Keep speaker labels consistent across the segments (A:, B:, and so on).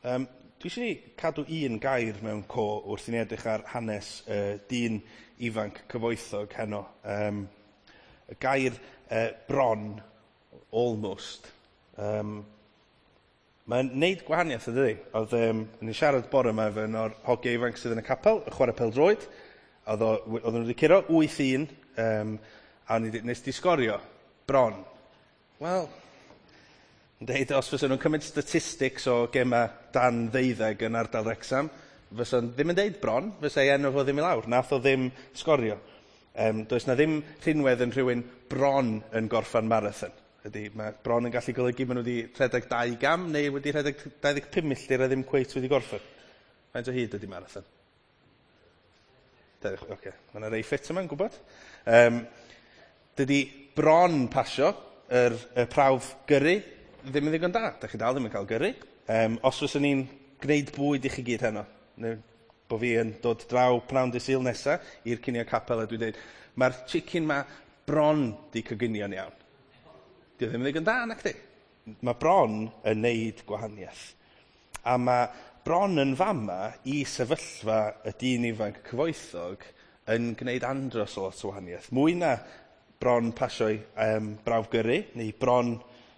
A: Dwi eisiau ni cadw un gair mewn co wrth i ni edrych ar hanes dyn ifanc cyfoethog heno. Y gair bron, almost. Mae'n neud gwahaniaeth, ydy? Oedd, ni'n siarad bore yma efo un o'r hogiau ifanc sydd yn y capel, y chwarae pêl-droed. Oedden nhw wedi curo 8-1, a nes di sgorio bron. Wel, yn deud, os fysa nhw'n cymryd statistics o gema dan 12 yn ardal Wrexham, fysa ddim yn deud bron, fysa ei enw fo ddim i lawr. Nath o ddim sgorio. Does na ddim rhinwedd yn rhywun bron yn gorffan marathon. Ydy, mae bron yn gallu golygu maen nhw wedi rhedeg 2 gam neu wedi rhedeg 25 milltir a ddim cweit wedi gorffen. Faint o hyd ydy marathon? Oce, okay. Mae yna rei ffit yma'n gwybod. Dydy bron pasio y prawf gyrru ddim yn ddigon da. Da chi dal ddim yn cael gyrru. Os fyswn ni'n gwneud bwyd i chi gyd heno, neu bo fi yn dod draw pnawn dydd Sul nesa i'r cinio capel a dwi'n dweud, mae'r chicken ma bron di coginio'n iawn. Di o ddim yn ddigon da, nac di? Mae bron yn neud gwahaniaeth. A mae bron yn fama i sefyllfa y dyn ifanc cyfoethog yn gwneud andros o lot o wahaniaeth. Mwy na bron pasio'i brawf gyrru, neu bron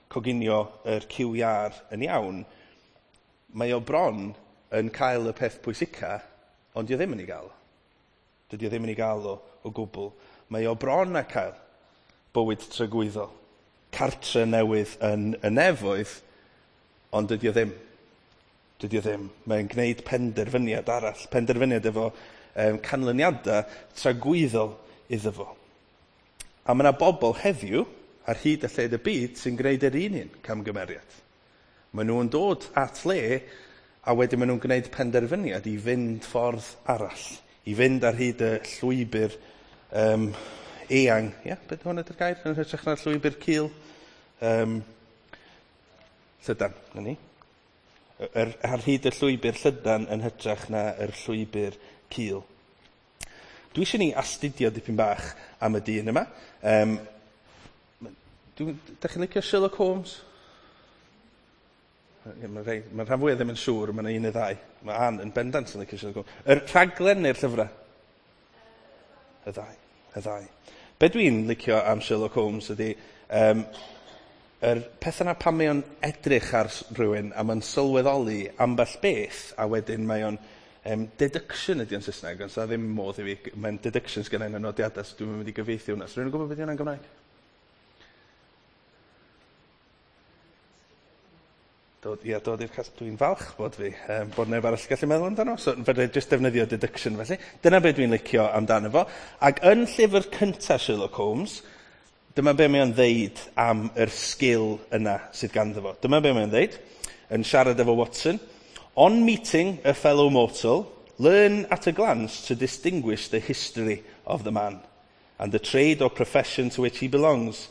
A: coginio yr cyw iâr yn iawn, mae o bron yn cael y peth pwysica, ond dio ddim yn ei gael o. Dydy o ddim yn ei gael o gwbl. Mae o bron a cael bywyd tragwyddol, cartre newydd yn y nefoedd, ond dydy o ddim. Dydy o ddim. Mae'n gwneud penderfyniad arall, penderfyniad efo canlyniadau tragwyddol iddo fo. A mae yna bobl heddiw ar hyd y lled y byd sy'n gwneud yr un camgymeriad. Maen nhw'n dod at le a wedyn maen nhw'n gwneud penderfyniad i fynd ffordd arall, i fynd ar hyd y llwybr eang. Ie, beth hwn ydy'r gair? Yn hytrach na'r llwybr cul. Llydan, na ni. Ar hyd y llwybr llydan yn hytrach na yr llwybr cul. Dwi eisiau ni astudio dipyn bach am y dyn yma. Dach chi'n licio Sherlock Holmes? Mae rhan fwyaf ddim yn siŵr, mae yna un neu ddau. Mae Ann yn bendant yn licio Sherlock Holmes. Yr rhaglen neu'r llyfrau? Y ddau. Be dwi'n licio am Sherlock Holmes ydy, yr peth yna pan mae o'n edrych ar rhywun a mae'n sylweddoli ambell beth, a wedyn mae o'n deduction ydy o'n Saesneg, ond sa ddim modd i fi, mae'n deduction sgynna i yn y nodiadau, so dwi'n mynd i gyfieithu hwnna. So rhywun yn gwybod beth ydy hwnna'n Gymraeg? Dod i'r cas, dwi'n falch bod fi, bod neb arall gallu meddwl amdano, so fedra i jyst defnyddio deduction felly. Dyna be dwi'n licio amdano fo. Ac yn llyfr cyntaf Sherlock Holmes, dyma be mae o'n ddeud am yr sgil yna sydd ganddo fo. Dyma be mae o'n ddeud, yn siarad efo Watson. On meeting a fellow mortal, learn at a glance to distinguish the history of the man and the trade or profession to which he belongs.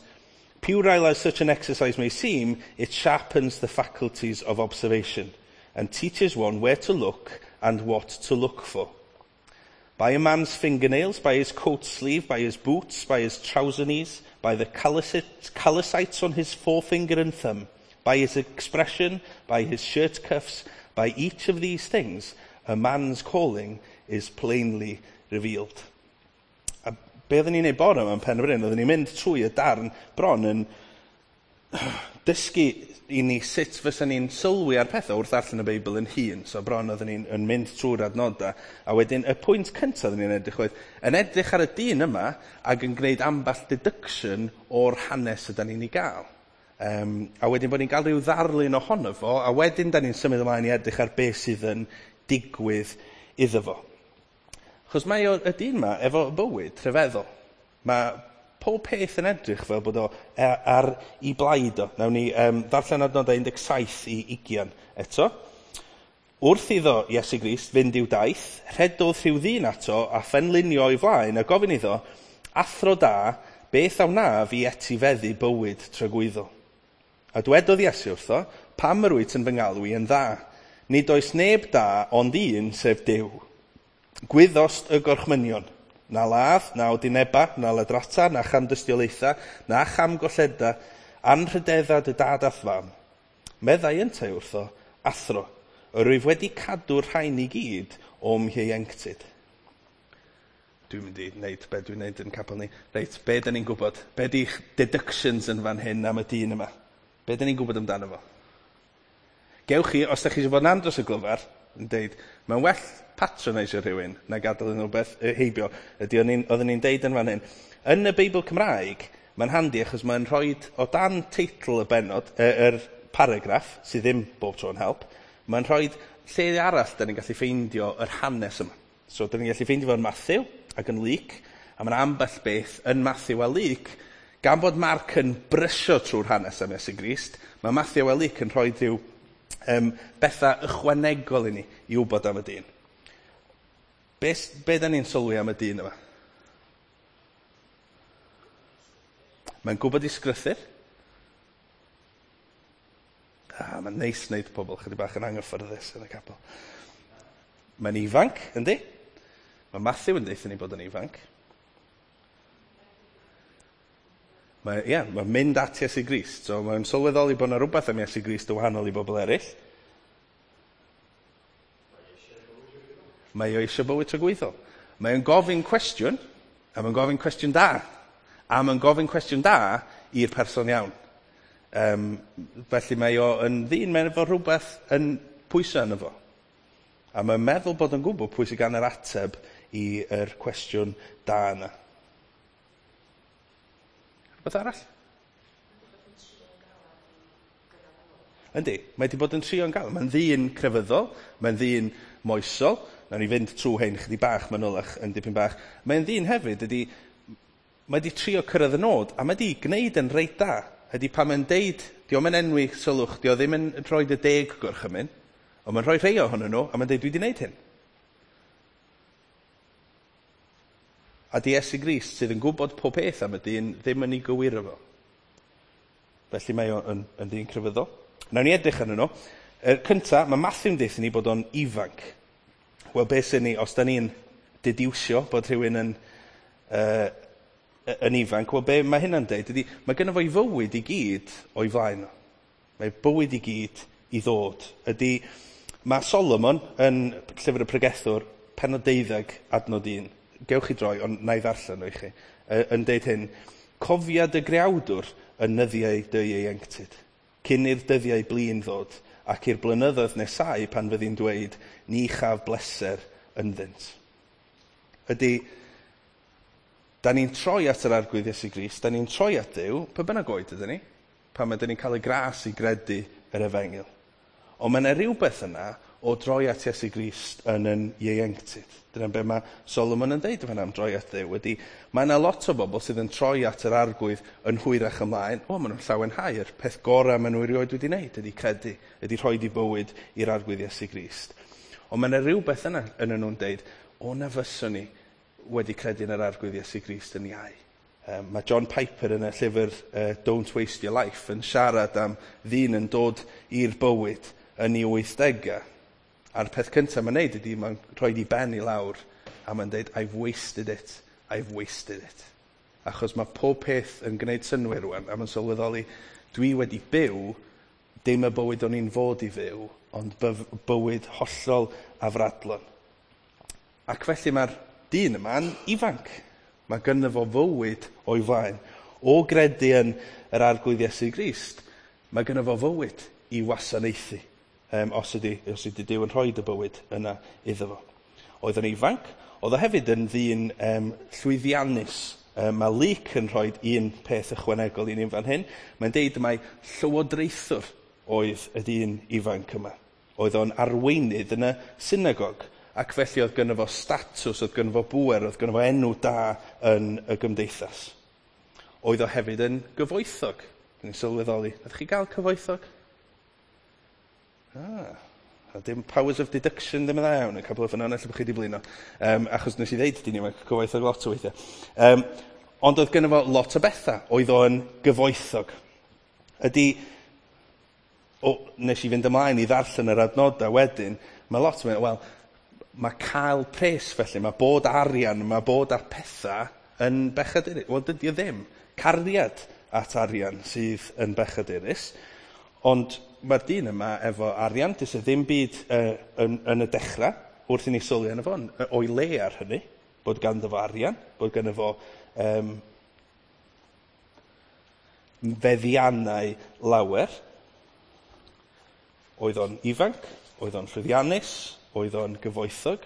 A: Puerile as such an exercise may seem, it sharpens the faculties of observation and teaches one where to look and what to look for. By a man's fingernails, by his coat sleeve, by his boots, by his trouser knees, by the callusites on his forefinger and thumb, by his expression, by his shirt cuffs, by each of these things, a man's calling is plainly revealed. A be oedden ni'n neud bore yma yn Pen y Bryn, oedden ni'n mynd trwy y darn bron yn dysgu i ni sut fysa ni'n sylwi ar pethau wrth darllen y Beibl yn hun. So bron oedden ni'n yn mynd trwy'r adnodau. A wedyn y pwynt cyntaf oedden ni'n edrych oedd, yn edrych ar y dyn yma ac yn gwneud ambell deduction o'r hanes ydan ni'n ei gael. A wedyn bod ni'n cael rhyw ddarlun ohono fo, a wedyn da ni'n symud ymlaen i edrych ar beth sydd yn digwydd iddo fo. Achos mae y dyn yma efo bywyd rhyfeddol. Mae pob peth yn edrych fel bod o ar ei blaid o. Nawn ni ddarllen adnodau 17 i 20 eto. Wrth iddo Iesu Grist fynd i'w daith, rhedodd rhyw ddyn ato a phenlinio o'i flaen a gofyn iddo, athro da, beth a wnaf i etifeddu bywyd tragwyddol? A dwedodd Iesu wrtho, pam yr wyt yn fy ngalw i yn dda? Nid oes neb da ond un, sef Duw. Gwyddost y gorchmynion, na ladd, na odineba, na ladrata, na chamdystiolaetha, na chamgolleda, anrhydedda dy dad a'th fam. Meddai yntau wrtho, athro, Yr wyf wedi cadw'r rhain i gyd o'm hieuenctid. Dwi'n mynd i wneud be dwi'n wneud yn capel ni. Reit, be dyn ni'n gwybod? Be di'ch deductions yn fan hyn am y dyn yma? Be dyn ni'n gwybod amdano fo? Gewch chi, os da chi eisiau bod yn andros o glyfar, yn deud, mae'n well patronisio rhywun na gadael yn rhywbeth heibio. Ydy, oedden ni'n deud yn fan hyn. Yn y Beibl Cymraeg, mae'n handi achos mae'n rhoi o dan teitl y bennod, yr paragraff, sydd ddim bob tro yn help, mae'n rhoi lle arall da ni'n gallu ffeindio yr hanes yma. So, da ni'n gallu ffeindio fo'n Matthew ac yn Luke, a mae'n ambell beth yn Matthew a Luke, gan bod Mark yn brysio trwy'r hanes am Iesu Grist, mae Matthew a Luke yn rhoi rhyw bethau ychwanegol i ni i wybod am y dyn. Be da ni'n sylwi am y dyn yma? Mae'n gwybod i sgrythyr. Mae'n neis wneud pobl chydig bach yn anghyffyrddus yn y capel. Mae'n ifanc, yndi? Mae Matthew yn deutha ni bod yn ifanc. Mae'n mynd at Iesu Grist. So mae'n sylweddoli bod yna rhywbeth am Iesu Grist yn wahanol i bobl eraill. Mae o eisiau bywyd tragwyddol. Mae'n gofyn cwestiwn, a mae'n gofyn cwestiwn da. A mae'n gofyn cwestiwn da i'r person iawn. Felly mae o yn ddyn, mae'n efo rhywbeth yn pwysau yno fo. A mae'n meddwl bod yn gwybod pwy sydd gan yr ateb i'r cwestiwn da yna. Rhywbeth arall? Yndi, mae wedi bod yn trio'n galed. Mae'n ddyn crefyddol, mae'n ddyn moesol. Nawn ni fynd trwy hyn chydig bach manylach yn dipyn bach. Mae'n ddyn hefyd ydy, mae wedi trio cyrraedd y nod, a mae wedi gwneud yn reit da. Ydy pan mae'n deud, di o'm yn enwi sylwch, di o ddim yn rhoi y 10 gorchymyn, ond mae'n rhoi rhai ohonyn nhw, a mae'n deud, dwi wedi gwneud hyn. A di Iesu Grist sydd yn gwybod pob peth am y dyn ddim yn ei gywiro fo. Felly mae o'n yn ddyn crefyddol. Nawn ni edrych arnyn nhw. Y cynta, mae Matthew'n deutha ni bod o'n ifanc. Wel, beth sy'n ni, os da ni'n dediwsio bod rhywun yn ifanc, wel, be mae hynna'n deud ydy, mae gynno fo ei fywyd i gyd o'i flaen o. Mae bywyd i gyd i ddod. Ydy, mae Solomon yn Llyfr y Pregethwr, pennod 12, adnod 1. Gewch chi droi, ond na i ddarllen o i chi. Yn deud hyn, cofia dy greawdwr yn nyddiau dy ieuenctid, cyn i'r dyddiau blin ddod, ac i'r blynyddoedd nesau pan fyddi'n dweud, ni chaf bleser ynddynt. Ydy, da ni'n troi at yr Arglwydd Iesu Grist, da ni'n troi at Dduw, pa bynnag oed ydyn ni, pan ydyn ni'n cael y gras i gredu yr efengyl. Ond mae yna rhywbeth yna o droi at Iesu Grist yn yn ieuenctid. Dyna be mae Solomon yn deud fan am droi at Dduw. Ydy, mae yna lot o bobl sydd yn troi at yr Arglwydd yn hwyrach ymlaen. O, maen nhw'n llawenhau. Yr peth gorau maen nhw erioed wedi wneud ydy credu, ydy rhoi di bywyd i'r Arglwydd Iesu Grist. Ond mae yna rhywbeth yna yn nhw'n deud, o na fyswn ni wedi credu yn yr Arglwydd Iesu Grist yn iau. Mae John Piper yn y llyfr Don't Waste Your Life yn siarad am ddyn yn dod i'r bywyd yn ei 80au. A'r peth cyntaf mae'n neud ydy mae'n rhoi di ben i lawr a mae'n deud, I've wasted it, I've wasted it. Achos mae pob peth yn gwneud synnwyr rwan, a mae'n sylweddoli, dwi wedi byw, dim y bywyd o'n i'n fod i fyw, ond bywyd hollol afradlon. Ac felly mae'r dyn yma'n ifanc. Mae gynno fo fywyd o'i flaen. O gredu yn yr Arglwydd Iesu Grist, mae gynno fo fywyd i wasanaethu. Os ydy Duw yn rhoi y bywyd yna iddo fo. Oedd o'n ifanc, oedd o hefyd yn ddyn llwyddiannus. Mae Luke yn rhoi un peth ychwanegol i ni fan hyn. Mae'n deud mai llywodraethwr oedd y dyn ifanc yma. Oedd o'n arweinydd yn y synagog, ac felly oedd gynno fo statws, oedd gynno fo bŵer, oedd gynno fo enw da yn y gymdeithas. Oedd o hefyd yn gyfoethog. Dwi'n sylweddoli. Ydych chi gael cyfoethog? A dim powers of deduction ddim yn dda iawn, y couple o ffynhonnell bod chi wedi blino. Achos nes i ddeud dyn ni, mae'n cyfoethog lot o weithiau. Ond oedd gynno fo lot o bethau. Oedd o'n gyfoethog. Ydy, nes i fynd ymlaen i ddarllen yr adnodau wedyn, mae lot o wel, mae cael pres felly, mae bod arian, mae bod ar pethau yn bechadurus. Wel, dydy o ddim. Cariad at arian sydd yn bechadurus. Ond Mae'r dyn yma efo arian, does e ddim byd yn y dechrau, wrth i ni sylwi arno fo, o'i le ar hynny, bod ganddo fo arian, bod ganddo fo feddiannau lawer. Oedd o'n ifanc, oedd o'n llwyddiannus, oedd o'n gyfoethog,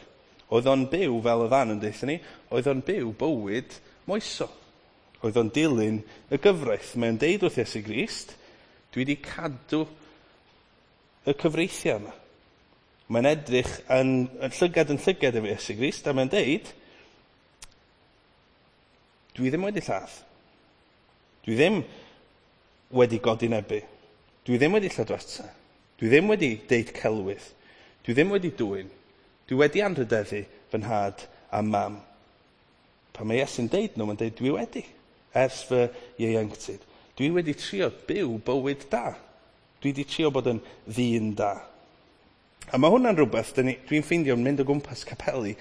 A: oedd o'n byw, fel oedd Ann yn deutha ni, oedd o'n byw bywyd moesol. Oedd o'n dilyn y gyfraith. Mae'n deud wrth Iesu Grist, dwi wedi cadw y cyfreithiau yma. Mae'n edrych yn llygad efo Iesu Grist, a mae'n deud, dwi ddim wedi lladd. Dwi ddim wedi godinebu. Dwi ddim wedi lladrata. Dwi ddim wedi deud celwydd. Dwi ddim wedi dwyn. Dwi wedi anrhydeddu fy nhad a mam. Pan mae Iesu'n deud nhw, mae'n deud dwi wedi, ers fy ieuenctid. Dwi wedi trio byw bywyd da. Dwi wedi trio bod yn ddyn da. A mae hwnna'n rhywbeth dwi'n ffeindio yn mynd o gwmpas capeli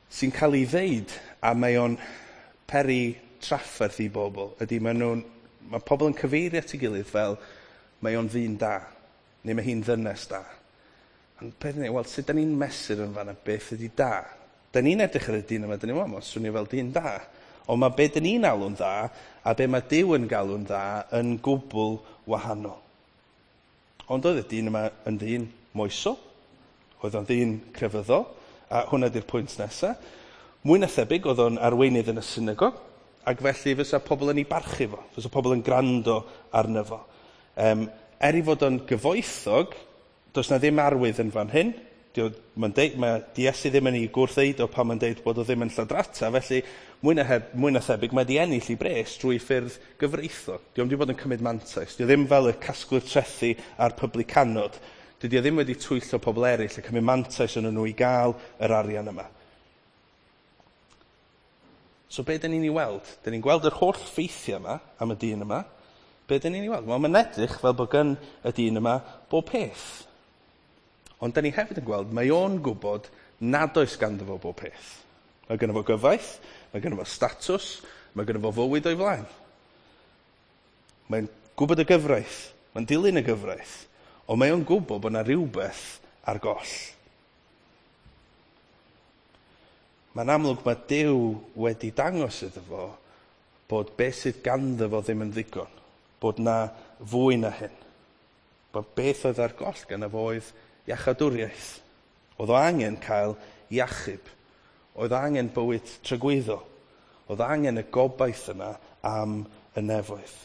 A: sy'n cael ei ddeud, a mae o'n peri trafferth i bobl. Ydy, mae pobl yn cyfeirio at ei gilydd fel mae o'n ddyn da, neu mae hi'n ddynes da. Ond peth ni, wel, sut da ni'n mesur yn fanna beth ydy da? Da ni'n edrych ar y dyn yma, da ni'n meddwl, swnio fel dyn da. Ond mae be da ni'n alw'n dda a be mae Duw yn galw'n dda yn gwbl wahanol. Ond oedd y dyn yma yn ddyn moesol, oedd o'n ddyn crefyddol, a hwnna di'r pwynt nesaf. Mwy na thebyg oedd o'n arweinydd yn y synagog, ac felly fysa pobl yn ei barchu fo, fysa pobl yn gwrando arno fo. Er i fod o'n gyfoethog, does na ddim arwydd yn fan hyn. Mae Iesu ddim yn ei gwrthddeud o pan mae'n deud bod o ddim yn lladrata, felly mwy na thebyg mae di ennill ei bres drwy ffyrdd gyfreithlon. Di o'm di bod yn cymryd mantais. Di o ddim fel y casglwyr trethi a'r publicanod. Dydy o ddim wedi twyllo pobl eraill a cymryd mantais yn nhw i gael yr arian yma. So be dyn ni'n ei weld? Dyn ni'n gweld yr holl ffeithiau yma am y dyn yma. Be dyn ni'n ei weld? Wel, mae'n edrych fel bod gan y dyn yma bob peth. Ond dyn ni hefyd yn gweld, mae o'n gwybod nad oes ganddo fo bob peth. Mae gynno fo gyfaith, mae gynno fo statws, mae gynno fo fywyd o'i flaen. Mae'n gwybod y gyfraith, mae'n dilyn y gyfraith, ond mae o'n gwybod bod yna rhywbeth ar goll. Mae'n amlwg mae Duw wedi dangos iddo fo bod beth sydd ganddo fo ddim yn ddigon, bod na fwy na hyn. Bod beth oedd ar goll ganddo fo oedd iachadwriaeth. Oedd o angen cael iachub. Oedd angen bywyd tragwyddol. Oedd angen y gobaith yna am y nefoedd.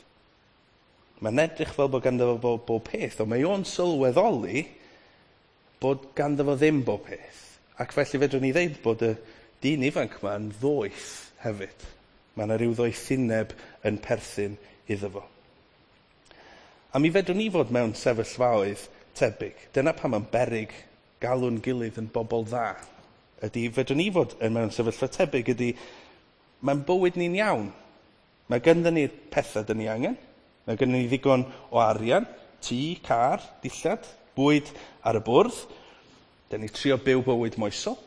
A: Mae'n edrych fel bod ganddo fo bob peth, ond mae o'n sylweddoli bod ganddo fo ddim bob peth. Ac felly fedrwn ni ddeud bod y dyn ifanc yma'n ddoeth hefyd. Mae yna rhyw ddoethineb yn perthyn iddo fo. A mi fedrwn ni fod mewn sefyllfaoedd tebyg. Dyna pam mae'n beryg galw'n gilydd yn bobl dda. Ydy, fedrwn ni fod yn mewn sefyllfa tebyg ydy, mae'n bywyd ni'n iawn. Mae gynddon ni'r pethau dyn ni angen. Mae gynddon ni ddigon o arian, tŷ, car, dillad, bwyd ar y bwrdd. Dyn ni trio byw bywyd moesol,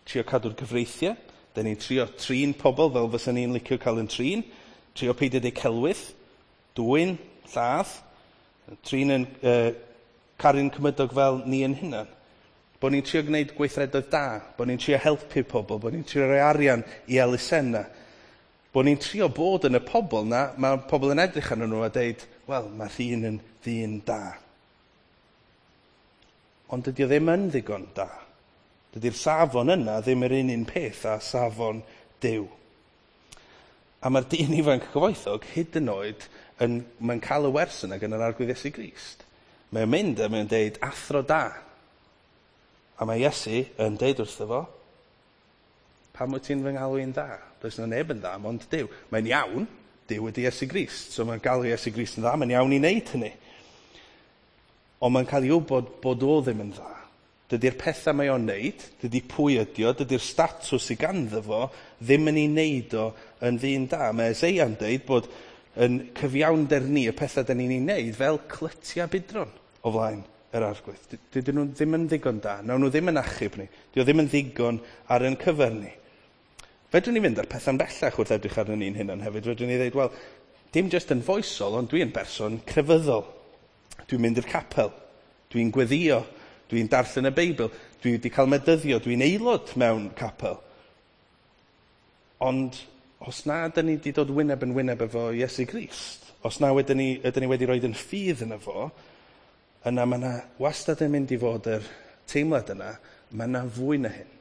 A: trio cadw'r cyfreithiau. Dyn ni'n trio trin pobl fel fysa ni'n licio cael yn trin, trio peidio deud celwydd, dwyn, lladd, trin yn caru'n cymydog fel ni yn hunan. Bod ni'n trio gwneud gweithredoedd da, bod ni'n trio helpu pobl, bod ni'n trio rhoi arian i elusennau. Bod ni'n trio bod yn y pobl na, mae pobl yn edrych arnyn nhw a deud, wel, mae rhywun yn ddyn da. Ond dydy o ddim yn ddigon da. Dydy'r safon yna ddim yr un peth â safon Duw. A mae'r dyn ifanc cyfoethog hyd yn oed, mae'n cael y wers yna gan yr Arglwydd Iesu Grist. Mae'n mynd a mae'n deud, athro da. A mae Iesu yn deud wrtho fo, pam wyt ti'n fy ngalw i'n dda? Does yna neb yn dda, mond Duw. Mae'n iawn, Duw ydy Iesu Grist. So mae'n galw Iesu Grist yn dda, mae'n iawn i wneud hynny. Ond mae'n cael ei wybod bod o ddim yn dda. Dydy'r pethau mae o'n wneud, dydy pwy ydi o, dydy'r statws sydd ganddo fo ddim yn ei wneud o yn ddyn da. Mae Eseia'n deud bod yn cyfiawnder ni, y pethau dyn ni'n ei wneud, fel clytiau budron o flaen yr Arglwydd. Dydyn nhw ddim yn ddigon da, nawn nhw ddim yn achub ni, dydy o ddim yn ddigon ar ein cyfer ni. Fedrwn ni fynd ar pethau'n bellach wrth edrych arno ni'n hunan hefyd. Fedrwn ni ddeud, wel, dim jyst yn foesol, ond dwi'n berson crefyddol. Dwi'n mynd i'r capel, dwi'n gweddio, dwi'n darllen y Beibl, dwi wedi cael medyddio, dwi'n aelod mewn capel. Ond os na ydyn ni wedi dod wyneb yn wyneb efo Iesu Grist, os na ydyn ni, ydyn ni wedi rhoi yn ffydd yna fo, yna mae yna wastad yn mynd i fod yr teimlad yna, mae yna fwy na hyn.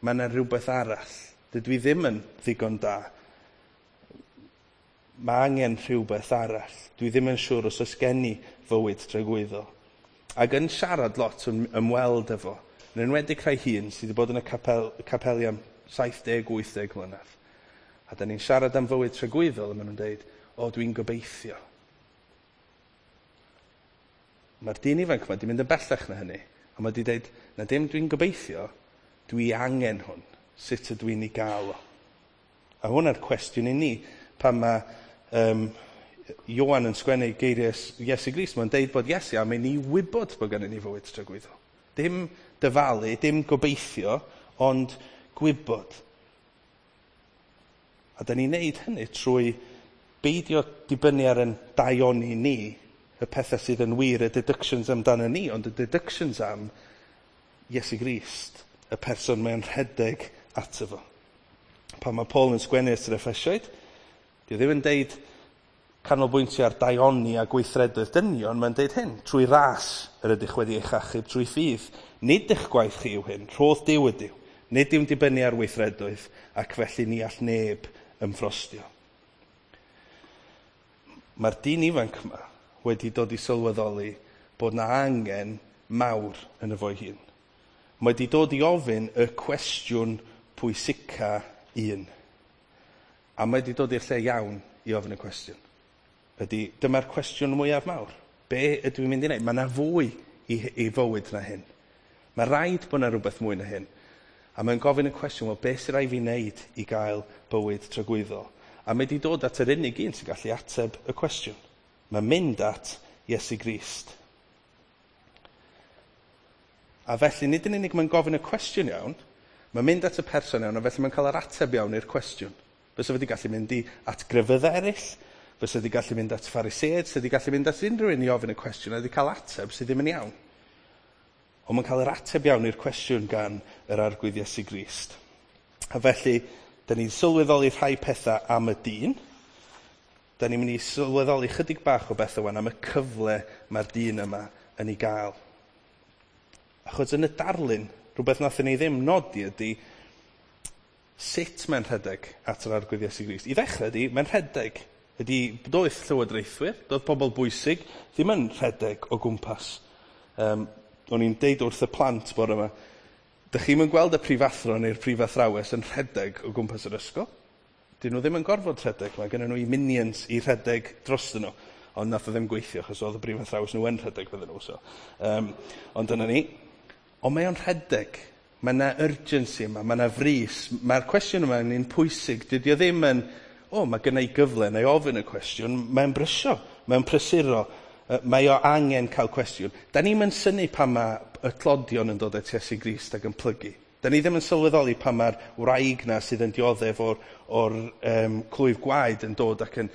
A: Mae yna rhywbeth arall. Dydw i ddim yn ddigon da. Mae angen rhywbeth arall. Dwi ddim yn siŵr os oes gen i fywyd tragwyddol. Ac yn siarad lot yn ymweld efo, yn enwedig rhai hun sydd wedi bod yn y capel, capeli am 70-80 mlynedd. A da ni'n siarad am fywyd tragwyddol, a maen nhw'n dweud, o, dwi'n gobeithio. Mae'r dyn ifanc yma wedi mynd yn bellach na hynny. A mae wedi dweud, na dim dwi'n gobeithio, dwi angen hwn. Sut ydw i'n ei gael o? A hwnna'r cwestiwn i ni, pan mae Ioan yn sgwennu geiriau Iesu Grist, mae'n deud bod Iesu am i ni wybod bod gennym ni fywyd tragwyddol. Dim dyfalu, dim gobeithio, ond gwybod. A da ni'n neud hynny trwy beidio dibynnu ar yn daioni ni, y pethau sydd yn wir, y deductions amdano ni, ond y deductions am Iesu Grist, y person mae'n rhedeg ato fo. Pan mae Paul yn sgwennu at yr Effesiaid, di ddim yn deud canolbwyntio ar daioni a gweithredoedd dynion, mae'n deud hyn, trwy ras yr ydych wedi eich achub trwy ffydd. Nid eich gwaith chi yw hyn, rhodd Duw ydyw. Nid yw'n dibynnu ar weithredoedd, ac felly ni all neb ymffrostio. Mae'r dyn ifanc yma wedi dod i sylweddoli bod na angen mawr yn y fo'i hun. Mae wedi dod i ofyn y cwestiwn pwysica un. A mae wedi dod i'r lle iawn i ofyn y cwestiwn. Ydy, dyma'r cwestiwn mwyaf mawr. Be ydw i'n mynd i wneud? Mae yna fwy i, i fywyd na hyn. Mae rhaid bod yna rhywbeth mwy na hyn. A mae'n gofyn y cwestiwn, wel, beth sy'n rhaid fi wneud i gael bywyd tragwyddol? A mae wedi dod at yr unig un sy'n gallu ateb y cwestiwn. Mae'n mynd at Iesu Grist. A felly, nid yn unig mae'n gofyn y cwestiwn iawn, mae'n mynd at y person iawn, a felly mae'n cael yr ateb iawn i'r cwestiwn. Fysa wedi gallu mynd i at grefyddau eraill, fysa wedi gallu mynd at Phariseaid, fysa wedi gallu mynd at unrhyw un i ofyn y cwestiwn, a wedi cael ateb sydd ddim yn iawn. Ond mae'n cael yr ateb iawn i'r cwestiwn gan yr Arglwydd Iesu Grist. A felly, da ni'n sylweddoli rhai pethau am y dyn. Da ni'n mynd i sylweddoli chydig bach o bethau wan am y cyfle mae'r dyn yma yn ei gael. Achos yn y darlun, rhywbeth nathon ni ddim nodi ydy sut mae'n rhedeg at yr Arglwydd Iesu Grist. I ddechrau ydy, mae'n rhedeg. Ydy doedd llywodraethwyr, doedd pobl bwysig, ddim yn rhedeg o gwmpas. O'n i'n deud wrth y plant bore yma, dych chi'm yn gweld y prifathro neu'r prifathrawes yn rhedeg o gwmpas yr ysgol. Dyn nhw ddim yn gorfod rhedeg, mae gen nhw i minions i rhedeg drostyn nhw. Ond nath o ddim gweithio, achos oedd y prifathrawes nhw yn rhedeg fydden nhw. So. Ond dyna ni. Ond mae o'n rhedeg. Mae yna urgency yma, mae yna frys. Mae'r cwestiwn yma yn un pwysig. Dydy o ddim yn, o, mae gen i gyfle neu ofyn y cwestiwn. Mae'n brysio, mae'n prysuro. Mae o angen cael cwestiwn. Da ni'm yn synnu pan mae y tlodion yn dod at Iesu Grist ac yn plygu. Da ni ddim yn sylweddoli pan mae'r wraig na sydd yn dioddef o'r, or clwyf gwaed yn dod ac yn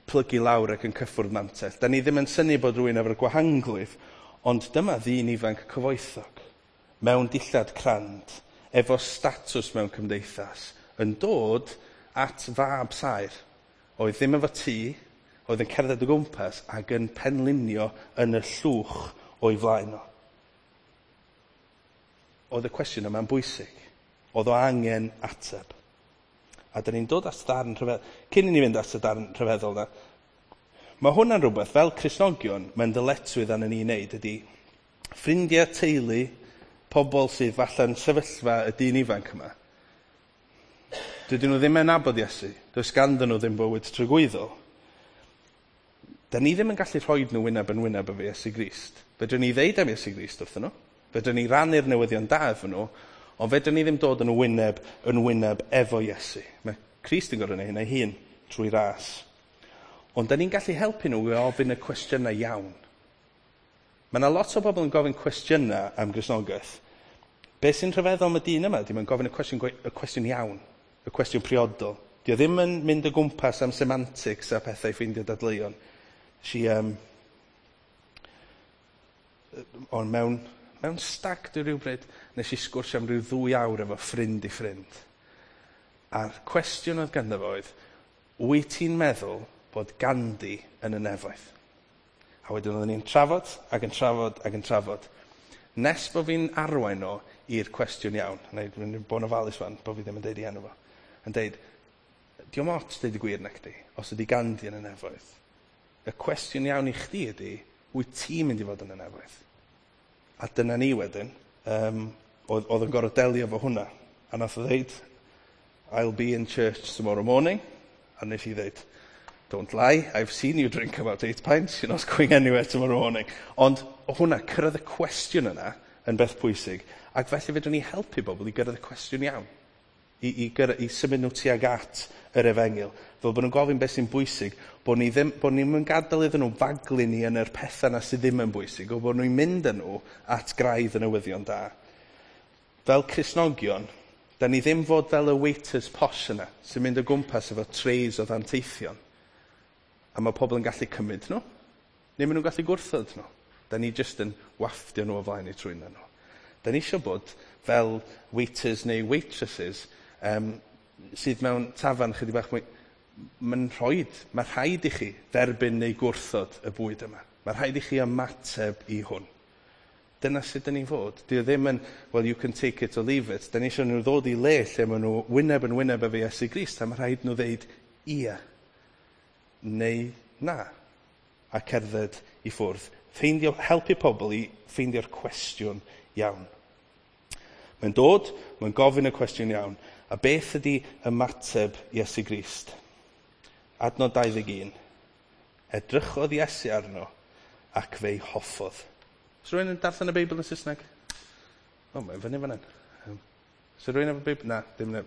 A: plygu lawr ac yn cyffwrdd mantell. Da ni ddim yn synnu bod rhywun efo'r gwahanglwyf, ond dyma ddyn ifanc cyfoethog, mewn dillad crand, efo statws mewn cymdeithas, yn dod at fab saer, oedd ddim efo tŷ, oedd yn cerdded o gwmpas ac yn penlinio yn y llwch o'i flaen o. Oedd y cwestiwn yma'n bwysig. Oedd o angen ateb. A da ni'n dod at darn rhyfedd. Cyn i ni fynd at y darn rhyfeddol na, mae hwnna'n rhywbeth, fel Cristnogion, mae'n ddyletswydd arnon ni i wneud ydy ffrindiau, teulu, pobl sydd falle'n sefyllfa y dyn ifanc yma. Dydyn nhw ddim yn nabod Iesu. Does ganddyn nhw ddim bywyd tragwyddol. Da ni ddim yn gallu rhoi nhw wyneb yn wyneb efo Iesu Grist. Fedrwn ni ddeud am Iesu Grist wrthyn nhw. Fedrwn ni rannu'r newyddion da efo nhw, ond fedrwn ni ddim dod yn wyneb yn wyneb efo Iesu. Mae Crist yn gorfod gwneud hynna ei hun trwy ras. Ond da ni'n gallu helpu nhw i ofyn y cwestiynau iawn. Mae yna lot o bobl yn gofyn cwestiynau am Gristnogaeth. Be sy'n rhyfeddol am y dyn yma ydy mae'n gofyn y cwestiwn, y cwestiwn iawn, y cwestiwn priodol. Di o ddim yn mynd o gwmpas am semantics a pethau i ffeindio dadleuon. Si, Ond mewn stag do rhywbryd, nes i sgwrsio am ryw 2 awr efo ffrind i ffrind. A'r cwestiwn oedd ganddo fo oedd, "Wyt ti'n meddwl bod Gandhi yn y nefoedd?" A wedyn oedden ni'n trafod ac yn trafod ac yn trafod. Nes bod fi'n arwain o i'r cwestiwn iawn. Neu dwi'n bod yn ofalus fan, bod fi ddim yn deud i enw fo. Yn deud, "Dio'm ots deud y gwir na chdi, os ydy Gandhi yn y nefoedd. Y cwestiwn iawn i chdi ydy, wyt ti'n mynd i fod yn y nefoedd?" A dyna ni wedyn, oedd yn gorfod delio efo hwnna. A nath o ddeud, "I'll be in church tomorrow morning." A nes i ddeud, "Don't lie, I've seen you drink about 8 pints, you're not going anywhere tomorrow morning." Ond o hwnna, cyrraedd y cwestiwn yna yn beth pwysig, ac felly fedrwn ni helpu bobl i gyrraedd y cwestiwn iawn. I symud nhw tuag at yr efengyl. Fel bod nhw'n gofyn beth sy'n bwysig, bod ni'n mynd gadael iddyn nhw faglu ni yn yr pethau yna sydd ddim yn bwysig, o bod nhw'n mynd â nhw at graidd y newyddion da. Fel Cristnogion, da ni ddim fod fel y waiters posh yna, sy'n mynd o gwmpas efo trays o ddanteithion. A mae pobl yn gallu cymryd nhw, neu maen nhw'n gallu gwrthod nhw. Da ni jyst yn wafftio nhw o flaen eu trwyn nhw. Da ni eisiau bod fel waiters neu waitresses sydd mewn tafarn chydig bach mwy. Mae rhaid i chi dderbyn neu gwrthod y bwyd yma. Mae rhaid i chi ymateb i hwn. Dyna sut dyn ni'n fod. Di o ddim yn, "Well, you can take it or leave it." Da ni eisiau nhw ddod i le lle maen nhw wyneb yn wyneb efo Iesu Grist, a mae rhaid nhw ddeud ia neu na, a cerdded i ffwrdd. Helpu pobl i ffeindio'r cwestiwn iawn. Mae'n dod, mae'n gofyn y cwestiwn iawn. A beth ydy ymateb Iesu Grist? Adnod 21. Edrychodd Iesu arno ac fe'i hoffodd. Oes rhywun yn darllen y Beibl yn Saesneg? O, mae'n fyny fan hyn. Oes rhywun efo Beibl? Na, dim neb.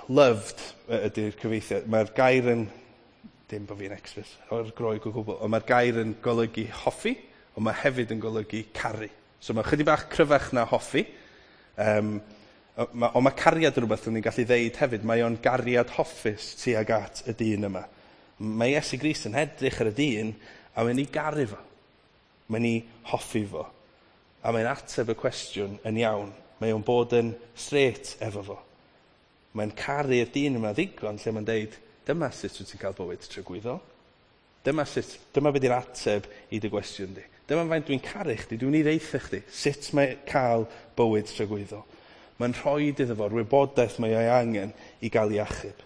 A: Loved ydy'r cyfieithiad. Mae'r gair yn, dim bod fi'n expert o'r Groeg o gwbl, ond mae'r gair yn golygu hoffi, ond mae hefyd yn golygu caru. So mae chydig bach cryfach na hoffi. Ond mae cariad yn rhywbeth ni'n gallu ddeud hefyd. Mae o'n gariad hoffus tuag at y dyn yma. Mae Iesu Grist yn edrych ar y dyn a mae'n ei garu fo. Mae'n ei hoffi fo. A mae'n ateb y cwestiwn yn iawn. Mae o'n bod yn straight efo fo. Mae'n caru'r dyn yma ddigon lle mae'n deud, "Dyma sut wyt ti'n cael bywyd tragwyddol. Dyma beth yw'r ateb i dy gwestiwn di. Dyma faint dwi'n caru chdi, dwi'n ei ddeutha chdi, sut mae cael bywyd tragwyddol." Mae'n rhoi iddo fo'r wybodaeth mae o'i angen i gael ei achub.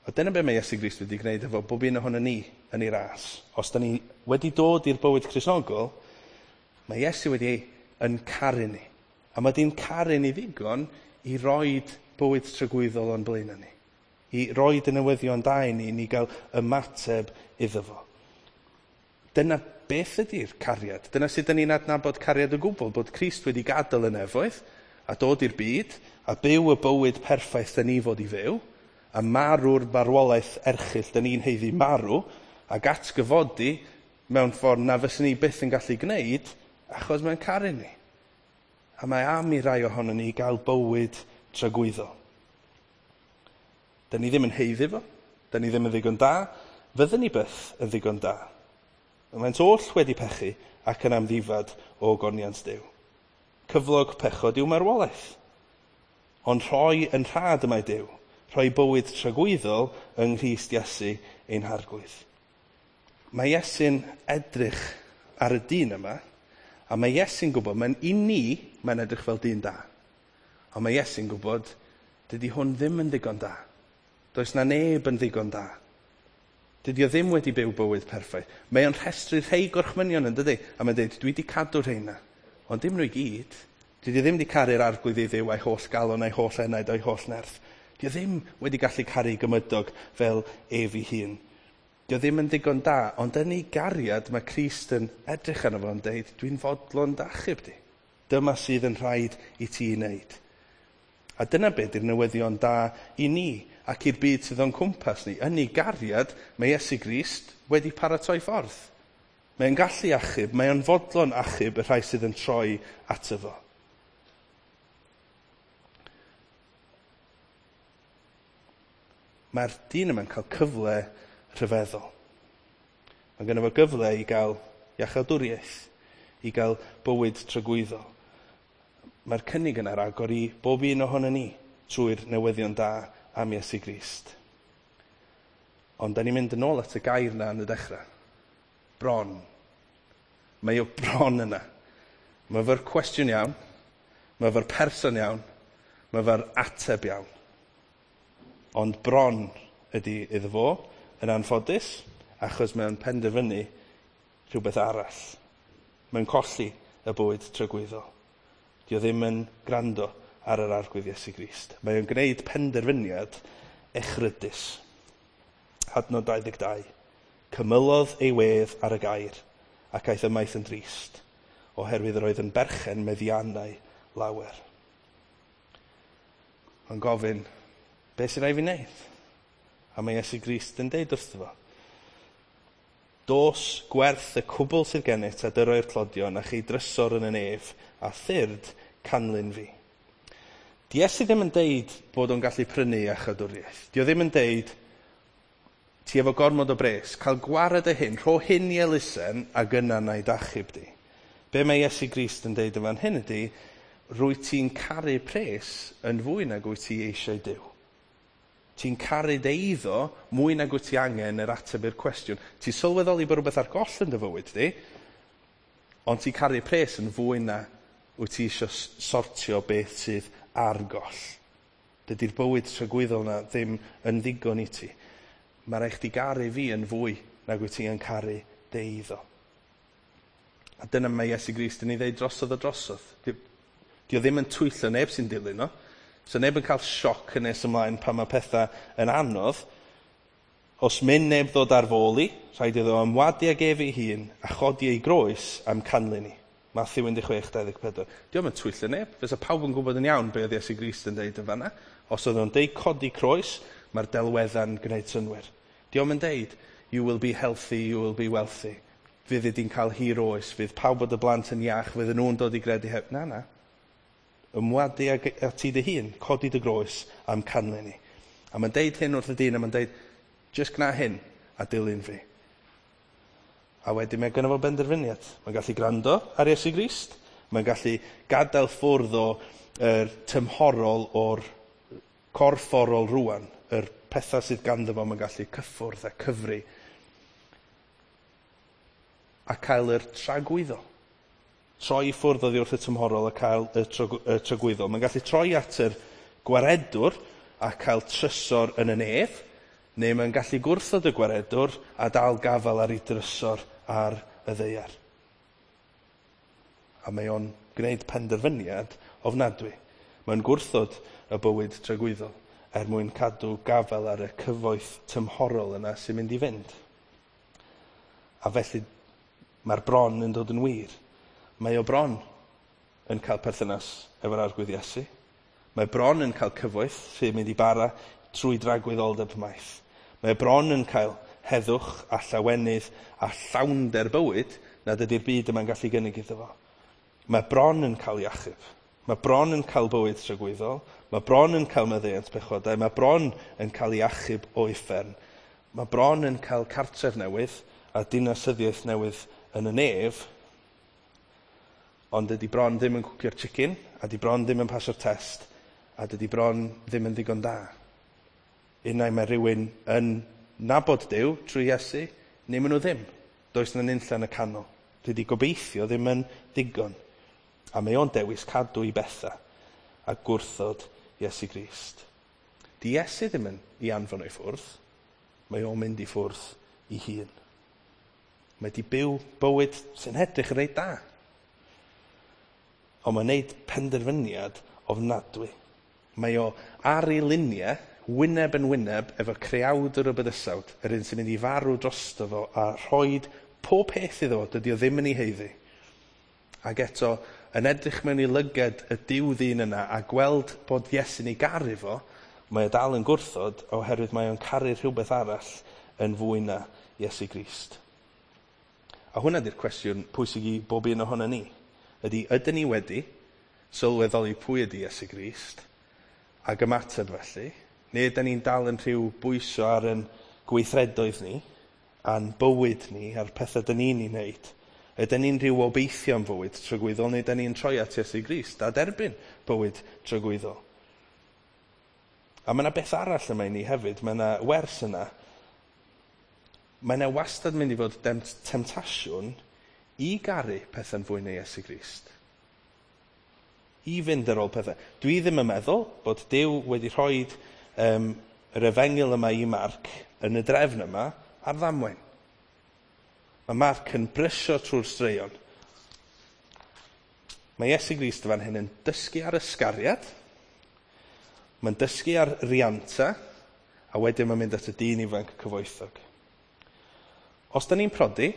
A: A dyna be mae Iesu Grist wedi gwneud efo bob un ohono ni yn ei ras. Os da ni wedi dod i'r bywyd Cristnogol, mae Iesu wedi yn caru ni. A mae di'n caru ni ddigon i roid bywyd tragwyddol o'n blaen ni. I roid y newyddion da i ni, ni gael ymateb iddo fo. Dyna beth ydy'r cariad. Dyna sut dyn ni'n adnabod cariad o gwbl, bod Crist wedi gadael y nefoedd a dod i'r byd a byw y bywyd perffaith dyn ni fod i fyw, a marw'r marwolaeth erchyll dyn ni'n haeddu marw, ac atgyfodi mewn ffordd na fyswn ni byth yn gallu gwneud, achos mae'n caru ni. A mae am i rai ohono ni gael bywyd tragwyddol. Dyn ni ddim yn haeddu fo, dyn ni ddim yn ddigon da, fyddwn ni byth yn ddigon da. Maent oll wedi pechu ac yn amddifad o ogoniant Duw. Cyflog pechod yw marwolaeth. Ond rhoi yn rhad y mae Duw, rhoi bywyd tragwyddol yng Nghrist Iesu ein Harglwydd. Mae Iesu'n edrych ar y dyn yma, a mae Iesu'n gwybod, mae'n i ni, mae'n edrych fel dyn da. Ond mae Iesu'n gwybod, dydy hwn ddim yn ddigon da. Does na neb yn ddigon da. Dydy o ddim wedi byw bywyd perffaith. Mae o'n rhestru rhai gorchmynion yn dydy? A mae'n dweud, "Dwi wedi cadw rheina. Ond dim nhw i gyd. Dwi ddim wedi caru'r Arglwydd ei Dduw a'i holl galon, a'i holl enaid, a'i holl nerth. Di o ddim wedi gallu caru gymydog fel ef ei hun. Di o ddim yn ddigon da, ond yn ei gariad mae Crist yn edrych arno fo yn deud, 'Dwi'n fodlon d'achub di. Dyma sydd yn rhaid i ti wneud.' A dyna beth yw'r newyddion da i ni ac i'r byd sydd o'n cwmpas ni. Yn ei gariad, mae Iesu Grist wedi paratoi ffordd. Mae'n gallu achub, mae o'n fodlon achub y rhai sydd yn troi ato fo. Mae'r dyn yma'n cael cyfle rhyfeddol. Mae genno fo gyfle i gael iachawdwriaeth, i gael bywyd tragwyddol. Mae'r cynnig yna ar agor i bob un ohono ni trwy'r newyddion da am Iesu Grist. Ond da ni'n mynd yn ôl at y gair na yn y dechrau. Bron. Mae o bron yna. Mae fo'r cwestiwn iawn, mae fo'r person iawn, mae fo'r ateb iawn. Ond bron ydy iddo fo, yn anffodus, achos mae'n penderfynu rhywbeth arall. Mae'n colli y bywyd tragwyddol. Dio ddim yn gwrando ar yr Arglwydd Iesu Grist. Mae o'n gwneud penderfyniad echrydus. Adnod 22. Cymylodd ei wedd ar y gair ac aeth ymaith yn drist, oherwydd yr oedd yn berchen meddiannau lawer. Mae'n gofyn, beth sy'n rhaid fi wneud? A mae Iesu Grist yn deud wrtho fo, dos gwerth y cwbl sydd gennyt a dyroi'r tlodion a chei drysor yn y nef a thyrd canlyn fi. Di Iesu ddim yn deud bod o'n gallu prynu iachawdwriaeth. Di o ddim yn deud, ti efo gormod o bres, cael gwared y hyn, rho hyn i elusen ac yna na i dachub di. Be mae Iesu Grist yn deud yn fan hyn ydy, rwy ti'n caru pres yn fwy nag wyt ti eisiau Duw. Ti'n caru dy eiddo mwy nag wyt ti angen yr ateb i'r cwestiwn. Ti'n sylweddoli bod rhywbeth ar goll yn dy fywyd di, ond ti'n caru pres yn fwy na wyt ti eisiau sortio beth sydd ar goll. Dydy'r bywyd tragwyddol na ddim yn ddigon i ti. Mae rhaid chdi garu fi yn fwy nag wyt ti yn caru dy eiddo. A dyna mae Iesu Grist yn ei ddeud drosodd a drosodd. Di o ddim yn twyllo neb sy'n dilyn o. So neb yn cael sioc yn nes ymlaen pan mae pethau yn anodd. Os mynd neb ddod ar fôl i, rhaid iddo ymwadu ag ef ei hun a chodi ei groes am canlyn i. Matthew 16:24. Di o'm yn twyllo neb. Fysa pawb yn gwybod yn iawn be oedd Iesu Grist yn deud yn fanna. Os oedd o'n deud codi croes, mae'r delwedda'n gwneud synnwyr. Di o'm yn deud, you will be healthy, you will be wealthy. Fydd di'n cael hir oes, fydd pawb o dy blant yn iach, fydd nhw'n dod i gredu heb. Na, na. Ymwadu ag ti dy hun, codi dy groes am canlyn i. A mae'n deud hyn wrth y dyn, a mae'n deud, just gwna hyn a dilyn fi. A wedyn mae gynno fo benderfyniad. Mae'n gallu gwrando ar Iesu Grist, mae'n gallu gadael ffwrdd o yr tymhorol o'r corfforol rwan, yr pethau sydd ganddo fo, mae'n gallu cyffwrdd a cyfri a cael yr tragwyddol. Troi i ffwrdd oddi wrth y tymhorol a cael y tragwyddol. Mae'n gallu troi at yr gwaredwr a cael trysor yn y nef, neu mae'n gallu gwrthod y gwaredwr a dal gafael ar ei drysor ar y ddaear. A mae o'n gwneud penderfyniad ofnadwy. Mae'n gwrthod y bywyd tragwyddol er mwyn cadw gafael ar y cyfoeth tymhorol yna sy'n mynd i fynd. A felly mae'r bron yn dod yn wir. Mae o bron yn cael perthynas efo'r Arglwydd Iesu. Mae bron yn cael cyfoeth sy'n mynd i bara trwy dragwyddoldeb maith. Mae bron yn cael heddwch a llawenydd a llawnder bywyd nad ydy'r byd yma'n gallu gynnig iddo fo. Mae bron yn cael iachub. Mae bron yn cael bywyd tragwyddol. Mae bron yn cael maddeuant pechodau. Mae bron yn cael ei achub o uffern. Mae bron yn cael cartref newydd a dinasyddiaeth newydd yn y nef. Ond dydy bron ddim yn cwcio'r chicken, a dydy bron ddim yn pasio'r test, a dydy bron ddim yn ddigon da. Unai mae rhywun yn nabod Duw trwy Iesu, neu maen nhw ddim. Does 'na nunlla yn y canol. Dydy gobeithio ddim yn ddigon. A mae o'n dewis cadw i bethau a gwrthod Iesu Grist. Di Iesu ddim yn i anfon o'i ffwrdd, mae o'n mynd i ffwrdd i hun. Mae di byw bywyd sy'n edrych yn reit da. Ond mae'n neud penderfyniad ofnadwy. Mae o ar ei luniau, wyneb yn wyneb, efo creawdwr y bydysawd, yr un sy'n mynd i farw drosto fo a rhoid pob peth iddo fo, dydy o ddim yn ei haeddu. Ac eto, yn edrych mewn i lyged y Duw ddyn yna a gweld bod Iesu'n ei garu fo, mae o dal yn gwrthod oherwydd mae o'n caru rhywbeth arall yn fwy na Iesu Grist. A hwnna di'r cwestiwn pwysig i bob un ohono ni. Ydy, ydyn ni wedi sylweddoli pwy ydy Iesu Grist ac ymateb felly, neu ydyn ni'n dal yn rhyw bwyso ar yn gweithredoedd ni, a'n bywyd ni, a'r pethau dyn ni'n ei wneud, Ydyn ni'n rhyw obeithio am fywyd tragwyddol, neu ydyn ni'n troi at Iesu Grist a derbyn bywyd tragwyddol? A mae yna beth arall yma i ni hefyd, mae yna wers yna. Mae yna wastad mynd i fod temtasiwn i garu pethau'n fwy na Iesu Grist. I fynd ar ôl pethau. Dwi ddim yn meddwl bod Duw wedi rhoi yr efengyl yma i Marc yn y drefn yma ar ddamwain. Mae Marc yn brysio trwy'r straeon. Mae Iesu Grist fan hyn yn dysgu ar ysgariad, mae'n dysgu ar rianta, a wedyn mae'n mynd at y dyn ifanc cyfoethog. Os da ni'n prodi,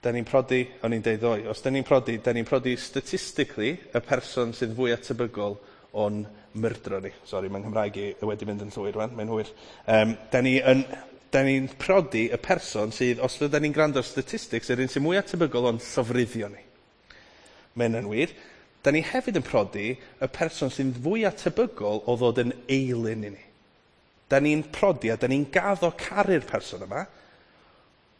A: o'n i'n deud ddoe, os da ni'n prodi, da ni'n prodi statistically y person sydd fwy tebygol o'n myrdro ni. Sori, mae'n Nghymraeg i wedi mynd yn llwyr rwan, mae'n hwyr. Da ni'n prodi y person sydd, os da ni'n gwrando ar statistics, yr un sy'n mwy tebygol o'n llofruddio ni. Mae hynna'n wir. Da ni hefyd yn prodi y person sy'n fwy tebygol o ddod yn eilun i ni. Da ni'n prodi a da ni'n gaddo caru'r person yma,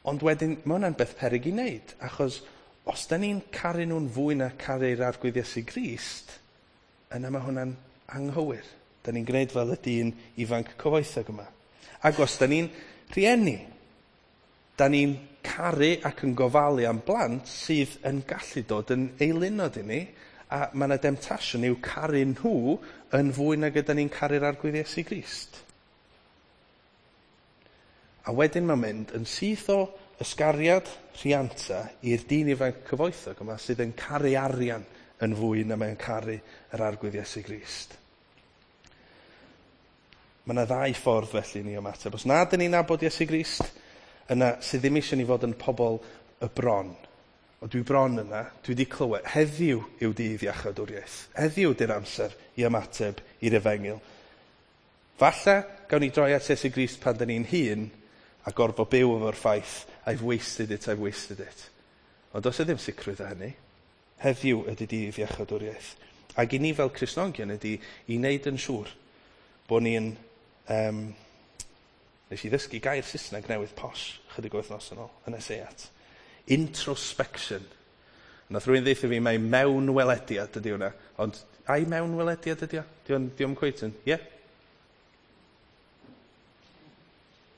A: ond wedyn mae hwnna'n beth peryg i wneud, achos os da ni'n caru nhw'n fwy na caru'r Arglwydd Iesu Grist, yna mae hwnna'n anghywir. Da ni'n gwneud fel y dyn ifanc cyfoethog yma. Ac os da ni'n rhieni, da ni'n caru ac yn gofalu am blant sydd yn gallu dod yn eilunod i ni, a mae yna demtasiwn i'w caru nhw yn fwy nag yda ni'n caru'r Arglwydd Iesu Grist. A wedyn mae'n mynd yn syth o ysgariad rhianta i'r dyn ifanc cyfoethog yma sydd yn caru arian yn fwy na mae'n caru yr Arglwydd Iesu Grist. Mae yna ddau ffordd felly ni ymateb. Os nad ydyn ni'n nabod Iesu Grist, yna sydd ddim eisiau ni fod yn pobl y bron. O dwi bron yna, dwi wedi clywed, heddiw yw dydd iachawdwriaeth. Heddiw ydy'r amser i ymateb i'r efengyl. Falle gawn ni droi at Iesu Grist pan dyn ni'n hŷn a gorfod byw efo'r ffaith, I've wasted it, I've wasted it. Ond does e ddim sicrwydd o hynny. Heddiw ydy dydd iachawdwriaeth. Ac i ni fel Cristnogion ydy i wneud yn siŵr bod ni'n... Nes i ddysgu gair Saesneg newydd posh chydig o wythnos yn ôl, yn y seiat. Introspection. Nath rhywun ddeutha fi mai mewnwelediad ydy hwnna. Ond ai mewnwelediad ydy o? Di o'm cweit yn, ie? Yeah?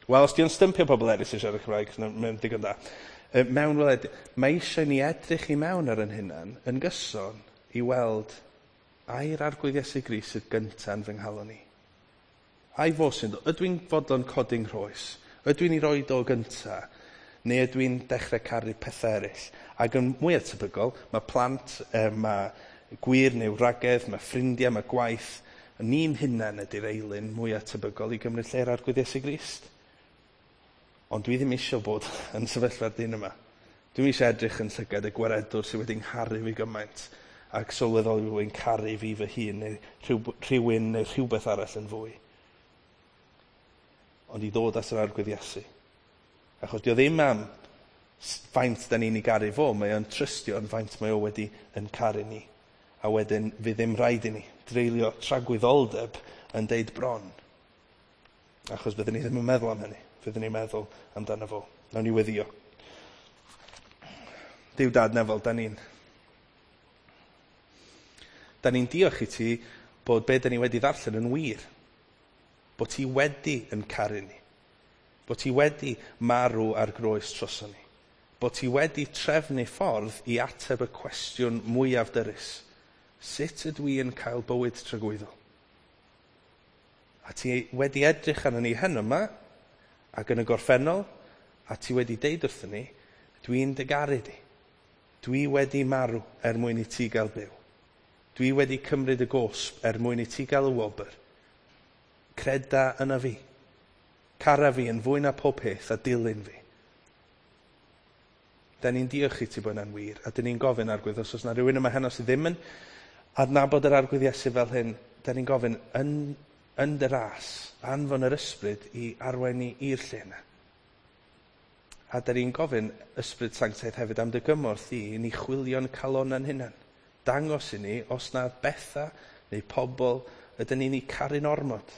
A: Wel, os di o'n stympio pobl eraill sy'n siarad Cymraeg, mae'n digon da. Mewnwelediad. Mae eisiau ni edrych i mewn ar yn hunan yn gyson i weld ai'r Arglwydd Iesu Grist sydd gynta'n fy nghalon i. Ai fo sy'n dod? Ydw i'n fodlon codi'n nghroes? Ydw i'n ei roed o gynta? Neu ydw i'n dechrau caru pethau eraill? Ac yn mwy tebygol, mae plant, mae gwir neu wragedd, mae ffrindiau, mae gwaith. Ni'n hunan ydy'r eilun mwyaf tebygol i gymryd lle'r Arglwydd Iesu Grist. Ond dwi ddim eisiau bod yn sefyllfa'r dyn yma. Dwi eisiau edrych yn llygad y gwaredwr sydd wedi ngharu fi gymaint ac sylweddoli bod fi'n caru fi fy hun neu rhywun neu rhywbeth arall yn fwy. Ond i ddod at yr Arglwydd Iesu. Achos dio ddim am faint da ni'n ei garu fo, mae o'n trystio yn faint mae o wedi yn caru ni. A wedyn fydd ddim rhaid i ni dreulio tragwyddoldeb yn deud bron. Achos byddwn ni ddim yn meddwl am hynny. Fyddwn ni'n meddwl amdano fo. Nawn ni weddio. Duw Dad nefol, da ni'n diolch i ti bod be da ni wedi ddarllen yn wir. Bod ti wedi yn caru ni. Bod ti wedi marw ar groes droson ni. Bod ti wedi trefnu ffordd i ateb y cwestiwn mwyaf dyrys. Sut ydw i yn cael bywyd tragwyddol? A ti wedi edrych arno ni heno yma, ac yn y gorffennol, a ti wedi deud wrthyn ni, dwi'n dy garu di. Dwi wedi marw er mwyn i ti gael byw. Dwi wedi cymryd y gosb er mwyn i ti gael y wobr. Creda yna fi. Cara fi yn fwy na pob peth a dilyn fi. Da ni'n diolch i ti bod yna'n wir, a da ni'n gofyn Arglwydd, os oes yna rhywun yma heno sydd ddim yn adnabod yr Arglwydd Iesu fel hyn, da ni'n gofyn yn dy ras, anfon yr ysbryd i arwain ni i'r lle yna. A da ni'n gofyn ysbryd sanctaidd hefyd am dy gymorth i ni chwilio'n calona'n hunan. Dangos i ni os na bethau neu pobl ydyn ni'n eu caru'n ormod.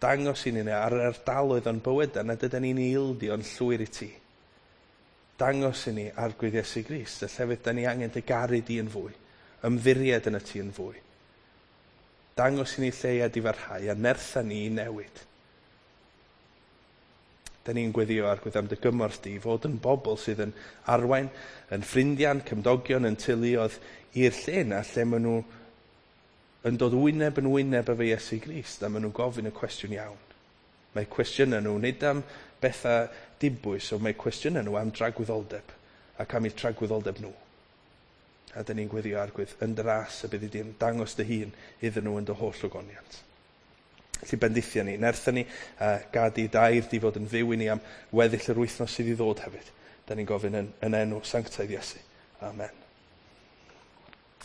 A: Dangos i ni ar yr ardaloedd o'n bywydau nad ydyn ni'n ildio'n llwyr i ti. Dangos i ni Arglwydd Iesu Grist, y llefydd da ni angen dy garu di yn fwy, ymddiried yn y ti yn fwy. Dangos i ni lle i edifarhau a nertha ni i newid. Da ni'n gweddio, Arglwydd, am dy gymorth di i fod yn bobl sydd yn arwain, yn ffrindiau'n cymdogion, yn teuluoedd i'r lle yna lle maen nhw yn dod wyneb yn wyneb efo Iesu Grist a maen nhw'n gofyn y cwestiwn iawn. Mae cwestiynau nhw nid am bethau dibwys, ond mae cwestiynau nhw am dragwyddoldeb ac am eu tragwyddoldeb nhw. A dyn ni'n gweddio, Arglwydd, yn dy ras y byddi di'n dangos dy hun iddyn nhw yn dy holl ogoniant. Felly bendithio ni, nertha ni, gad i dy air di fod yn fyw i ni am weddill yr wythnos sydd i ddod hefyd. Da ni'n gofyn yn enw sanctaidd Iesu. Amen.